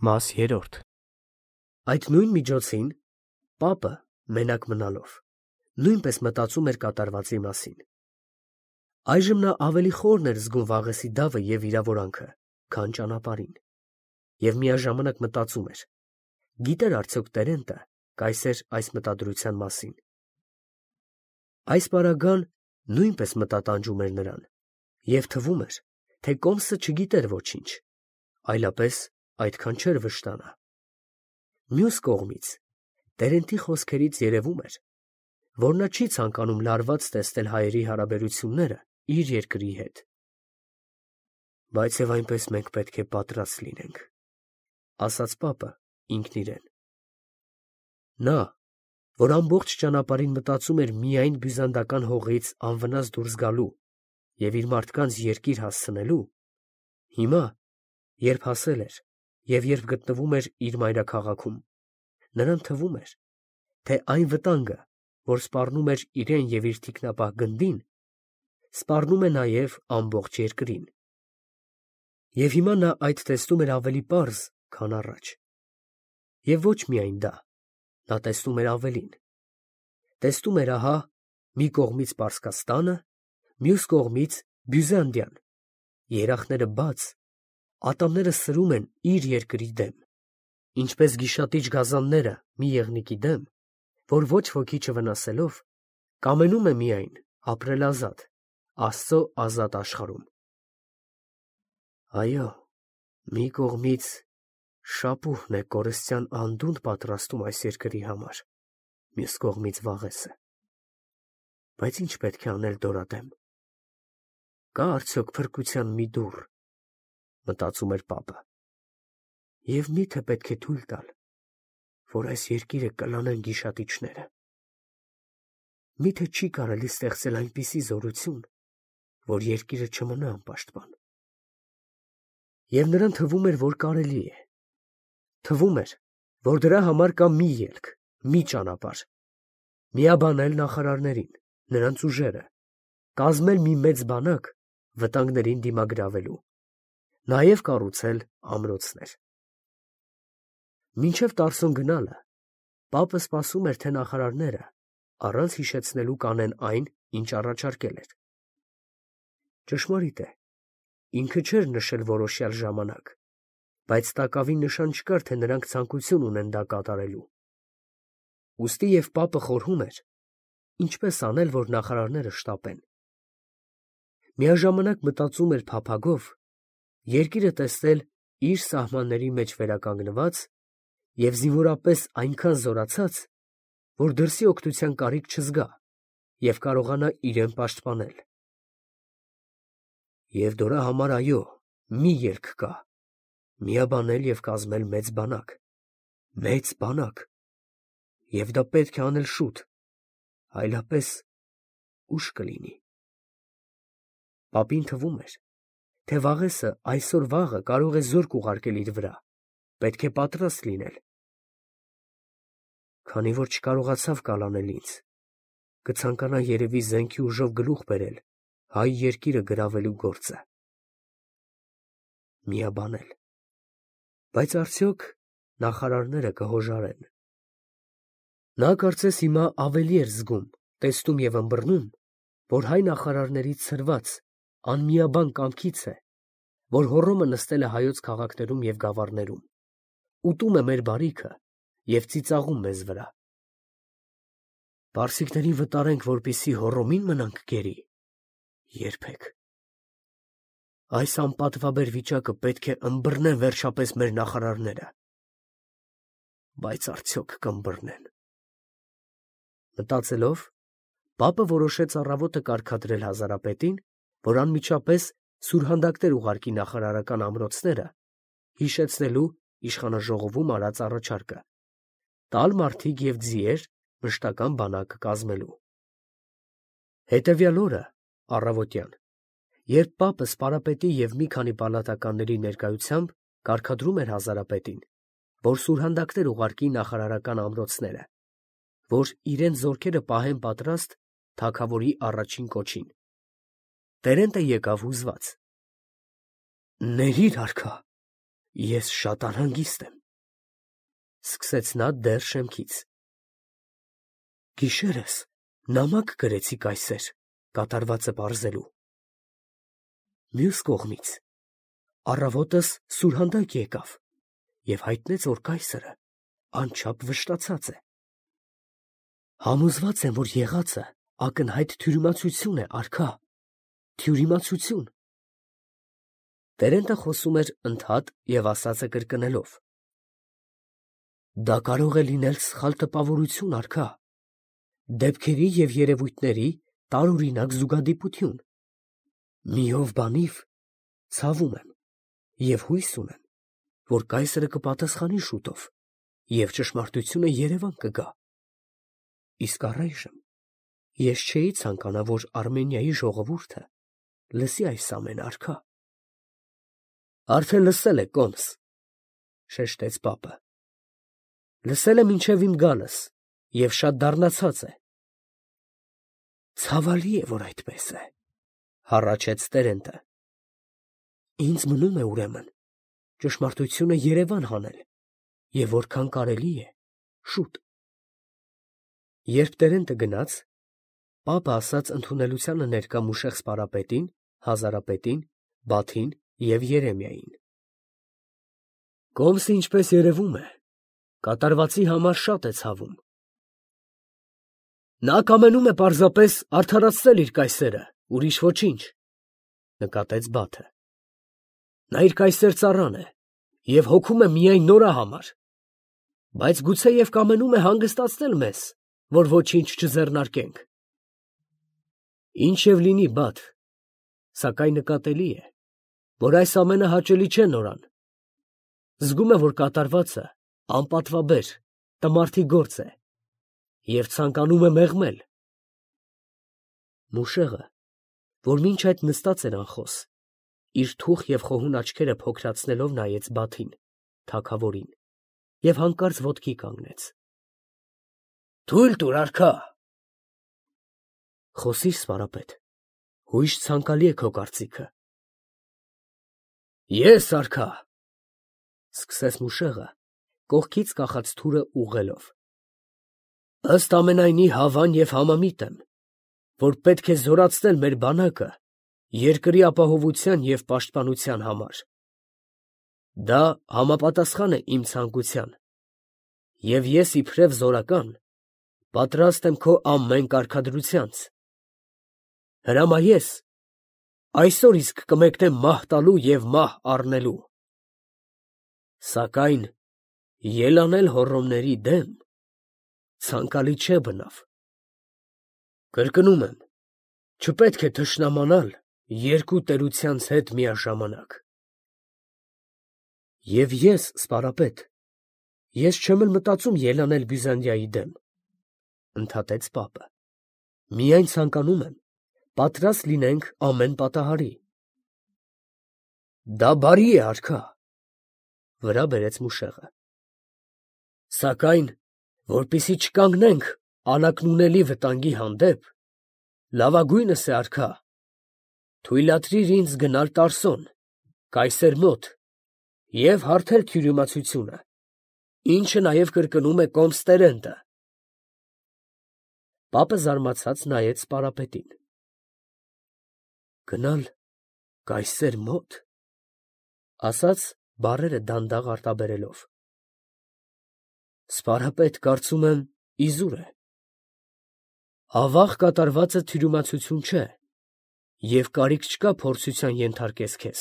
Մաս 3 Այդ նույն միջոցին պապը, մենակ մնալով, նույնպես մտածում էր կատարվածի մասին։ Այժմ նա ավելի խորն էր զգում Վաղեսի դավը և վիրավորանքը, քան ճանապարհին, և միաժամանակ մտածում էր. գիտեր արդյոք Տերենտը կայսեր այս մտադրության մասին։ Այս պարագան նույնպես մտատանջում էր նրան, և թվում էր, թե Կոմսը չգիտեր ոչինչ, այլապես այդքան չէր վշտանա։ Մյուս կողմից, Տերենտի խոսքերից երևում էր, որ նա չի ցանկանում լարված տեսնել հայերի հարաբերությունները իր երկրի հետ։ Բայց և այնպես մենք պետք է պատրաստ լինենք, ասաց պապը ինքն իրեն։ Նա, որ ամբողջ ճանապարհին մտածում էր միայն բյուզանդական հողից անվնաս դուրս գալու և իր մարդկանց երկիր հասցնելու, հիմա, երբ հասել էր և երբ գտնվում էր իր մայրաքաղաքում, նրան թվում էր, թե այն վտանգը, որ սպառնում էր իրեն և իր թիկնապահ գնդին, սպառնում է նաև ամբողջ երկրին։ Եվ հիմա նա այդ տեսնում էր ավելի պարզ, քան առաջ։ Եվ ոչ միայն դա, նա տեսնում էր ավելին. տեսնում էր ահա մի կողմից Պարսկաստանը, մյուս կողմից Բյուզանդիան, երախները բաց, ատամները սրում են իր երկրի դեմ, ինչպես գիշատիչ գազանները մի եղնիկի դեմ, որ ոչ ոքի չվնասելով, կամենում է միայն ապրել ազատ, Աստծո ազատ աշխարհում։ Այո, մի կողմից շապուհն է կորստյան անդունդը պատրաստում այս երկրի համար, մյուս կողմից Վաղեսը։ Բայց ի՞նչ պետք է անել դորադեմ։ Կա արդյոք փրկության մի դուռ, մտածում էր պապը, և մի՞թե պետք է թույլ տալ, որ այս երկիրը կլանեն գիշատիչները։ Մի՞թե չի կարելի ստեղծել այնպիսի զորություն, որ երկիրը չմնա անպաշտպան։ Եվ նրան թվում էր, որ կարելի է։ Թվում էր, որ դրա համար կա մի ելք, մի ճանապարհ. միաբանել նախարարներին, նրանց ուժերը, կազմել մի մեծ բանակ վտանգներին դիմագրավելու, նաև կառուցել ամրոցներ։ Մինչև Տարսոն գնալը, պապը սպասում էր, թե նախարարները առանց հիշեցնելու կանեն այն, ինչ առաջարկել էր։ Ճշմարիտ է, ինքը չէր նշել որոշյալ ժամանակ, բայց տակավին նշան չկար, թե նրանք ցանկություն ունեն դա կատարելու։ Ուստի և պապը խորհում էր, ինչպես անել, որ նախարարները շտապեն։ Միաժամանակ մտածում էր փափագով երկիրը տեսնել իր սահմանների մեջ վերականգնված և զինվորապես այնքան զորացած, որ դրսի օգնության կարիք չզգա և կարողանա իրեն պաշտպանել։ Եվ դրա համար, այո, մի ելք կա. միաբանել և կազմել մեծ բանակ, և դա պետք է անել շուտ, այլապես ուշ կլինի։ Պապին թվում էր, թե Վաղեսը այսօր֊վաղը կարող է զորք ուղարկել իր վրա, պետք է պատրաստ լինել։ Քանի որ չկարողացավ կալանել ինձ, կցանկանա երևի զենքի ուժով գլուխ բերել հայ երկիրը գրավելու գործը։ Միաբանել։ Բայց արդյոք նախարարները կհոժարեն։ Նա կարծես հիմա ավելի էր զգում, տեսնում և ըմբռնում, որ հայ նախարարներից ցրված, անմիաբան կամքից է, որ Հոռոմը նստել է հայոց քաղաքներում և գավառներում, ուտում է մեր բարիքը և ծիծաղում մեզ վրա։ Պարսիկներին վտարենք, որպեսզի Հոռոմին մնանք գերի։ Երբեք։ Այս անպատվաբեր վիճակը պետք է ըմբռնեն վերջապես մեր նախարարները։ Բայց արդյոք կըմբռնեն։ Մտածելով, պապը որոշեց առավոտը կարգադրել հազարապետին, որ անմիջապես սուրհանդակներ ուղարկի նախարարական ամրոցները, հիշեցնելու իշխանաժողովում արած առաջարկը, տալ մարդիկ և ձիեր մշտական բանակ կազմելու։ Հետևյալ օրը, առավոտյան, երբ պապը սպարապետի և մի քանի պալատականների ներկայությամբ կարգադրում էր հազարապետին, որ սուրհանդակներ ուղարկի նախարարական ամրոցները, որ իրենց զորքերը պահեն պատրաստ թագավորի առաջին կոչին, Տերենտը եկավ հուզված։ «Ներիր, արքա, Ես շատ անհանգիստ եմ, սկսեց նա դեռ շեմքից։ Գիշերս նամակ գրեցի կայսեր, կատարվածը պարզելու։ Մյուս կողմից առավոտս սուրհանդակ եկավ և հայտնեց, որ կայսրը անչափ վշտացած է։ Համոզված եմ, որ եղածը ակնհայտ թյուրիմացություն է, արքա, թյուրիմացություն։ Տերենտը խոսում էր ընդհատ և ասածը կրկնելով։ Դա կարող է լինել սխալ տպավորություն, արքա, դեպքերի և երևույթների տարօրինակ զուգադիպություն։ Մի ով բանիվ ցավում եմ և հույս ունեմ, որ կայսրը կպատասխանի շուտով և ճշմարտությունը երևան կգա։ Իսկ առայժմ ես չէի ցանկանա, որ Արմենիայի ժողովուրդը լսի այս ամենը, արքա։ Արդեն լսել է, կոմս, շեշտեց պապը։ Լսել է մինչև իմ գալս և շատ դառնացած է։ Ցավալի է, որ այդպես է, հառաչեց տերենտը։ Ինձ մնում է ուրեմն ճշմարտությունը երևան հանել և որքան կարելի է շուտ։ Երբ տերենտը գնաց, պապը ասաց ընդունելությանը ներկա Մուշեղ սպարապետին, հազարապետին, Բաթին և Երեմիային. Կոմսը, ինչպես երևում է, կատարվածի համար շատ է ցավում։ Նա կամենում է պարզապես արդարացնել իր կայսերը, ուրիշ ոչինչ, նկատեց Բաթը։ Նա իր կայսեր ծառան է և հոգում է միայն նորա համար, բայց գուցեև կամենում է հանգստացնել մեզ, որ ոչինչ չձեռնարկենք։ Ինչ և լինի, Բաթ, սակայն նկատելի է, որ այս ամենը հաճելի չէ նորան։ Զգում է, որ կատարվածը անպատվաբեր, տմարդի գործ է և ցանկանում է մեղմել։ Մուշեղը, որ մինչ այդ նստած էր անխոս, իր թուխ և խոհուն աչքերը փոքրացնելով նայեց Բաթին, թագավորին, և հանկարծ ոտքի կանգնեց։ Թույլ տուր, արքա։ Խոսիր, սպարապետ, հույժ ցանկալի է քո կարծիքը։ Ես, արքա, սկսեց Մուշեղը, կողքից կախած թուրը ուղղելով։ Ըստ ամենայնի հավան և համամիտ եմ, որ պետք է զորացնել մեր բանակը երկրի ապահովության և պաշտպանության համար։ Դա համապատասխան է իմ ցանկության, և ես իբրև զորական պատրաստ եմ քո ամեն կարգադրությանց։ Հրամայես, այսօր իսկ կմեկնեմ մահ տալու և մահ առնելու։ Սակայն ելանել հոռոմների դեմ ցանկալի չէ բնավ։ Կրկնում եմ, չպետք է թշնամանալ երկու տերությանց հետ միաժամանակ։ Եվ ես, սպարապետ, ես չեմ էլ մտածում ելանել Բյուզանդիայի դեմ, ընդհատեց պապը, միայն ցանկանում եմ պատրաստ լինենք ամեն պատահարի։ Դա բարի է, արքա, վրա բերեց Մուշեղը։ Սակայն, որպեսզի չկանգնենք անակնունելի վտանգի հանդեպ, լավագույնս է, արքա, թույլատրիր ինձ գնալ Տարսոն, կայսեր մոտ, և հարթել թյուրիմացությունը, ինչը նաև կրկնում է կոմս տերենտը։ Պապը զարմացած նայեց սպարապետին։ Գնալ կայսեր մոտ, ասաց բառերը դանդաղ արտաբերելով։ Սպարապետ, կարծում եմ, իզուր է։ Ավաղ կատարվածը թյուրիմացություն չէ, և կարիք չկա փորձության ենթարկես քեզ։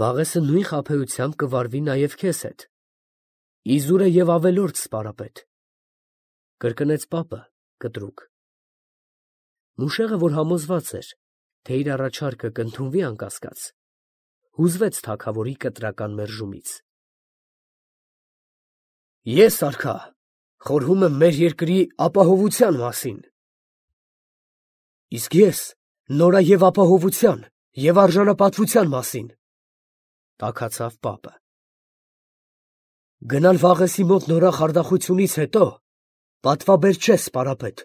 Վաղեսը նույն խաբեությամբ կվարվի նաև քեզ հետ։ Իզուր է և ավելորդ, սպարապետ, կրկնեց պապը կտրուկ։ Մուշեղը, որ համոզված էր, թե իր առաջարկը կընդունվի անկասկած, հուզվեց թագավորի կտրական մերժումից։ Ես, արքա, խորհում եմ մեր երկրի ապահովության մասին։ Իսկ ես նորա և ապահովության և արժանապատվության մասին, տաքացավ պապը։ Գնալ Վաղեսի մոտ նորա խարդախությունից հետո պատվաբեր չէ, սպարապետ։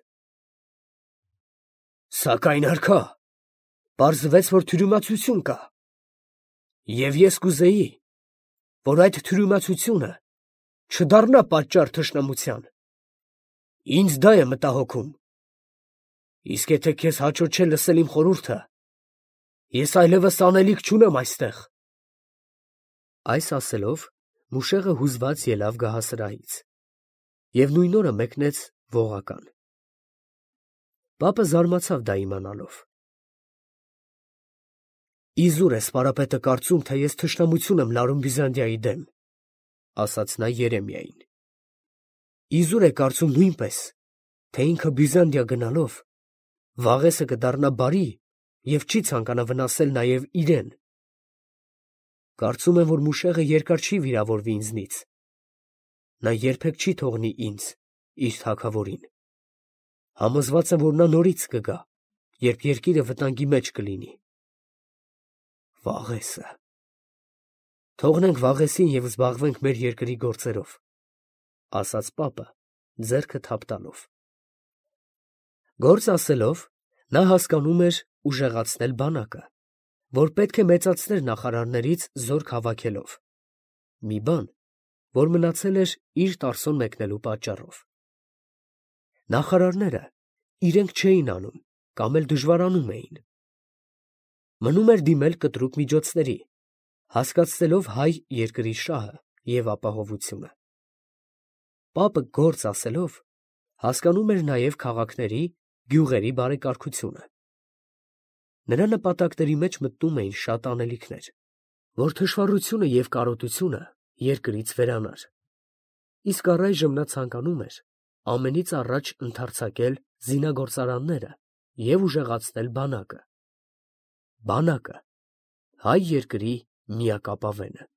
Սակայն, արքա, պարզվեց, որ թյուրիմացություն կա, և ես կուզեի, որ այդ թյուրիմացությունը չդառնա պատճառ թշնամության։ Ինձ դա է մտահոգում։ Իսկ եթե քեզ հաճո չէ լսել իմ խորհուրդը, ես այլևս անելիք չունեմ այստեղ։ Այս ասելով, Մուշեղը հուզված ելավ գահասրահից և նույն օրը մեկնեց Ողական։ Պապը զարմացավ դա իմանալով։ Իզուր է սպարապետը կարծում, թե ես թշնամություն եմ լարում Բյուզանդիայի դեմ, ասաց նա Երեմիային։ Իզուր է կարծում նույնպես, թե ինքը Բյուզանդիա գնալով Վաղեսը կդառնա բարի և չի ցանկանա վնասել նաև իրեն։ Կարծում եմ, որ Մուշեղը երկար չի վիրավորվի ինձնից։ Նա երբեք չի թողնի ինձ, իր թագավորին։ Համոզված եմ, որ նա նորից կգա, երբ երկիրը վտանգի մեջ կլինի։ Վաղեսը։ Թողնենք Վաղեսին և զբաղվենք մեր երկրի գործերով, ասաց պապը, ձեռքը թափ տալով։ Գործ ասելով, նա հասկանում էր ուժեղացնել բանակը, որ պետք է մեծացներ նախարարներից զորք հավաքելով, մի բան, որ մնացել էր իր Տարսոն մեկնելու պատճառով։ Նախարարները իրենք չէին անում կամ էլ դժվարանում էին։ Մնում էր դիմել կտրուկ միջոցների, հասկացնելով հայ երկրի շահը և ապահովությունը։ Պապը գործ ասելով, հասկանում էր նաև քաղաքների, գյուղերի բարեկարգությունը։ Նրա նպատակների մեջ մտնում էին շատ անելիքներ, որ թշվառությունը և կարոտությունը երկրից վերանար։ Իսկ առայժմ նա ցանկանում էր ամենից առաջ ընդարձակել զինագործարանները և ուժեղացնել բանակը։ Բանակը հայ երկրի միակ ապավենը։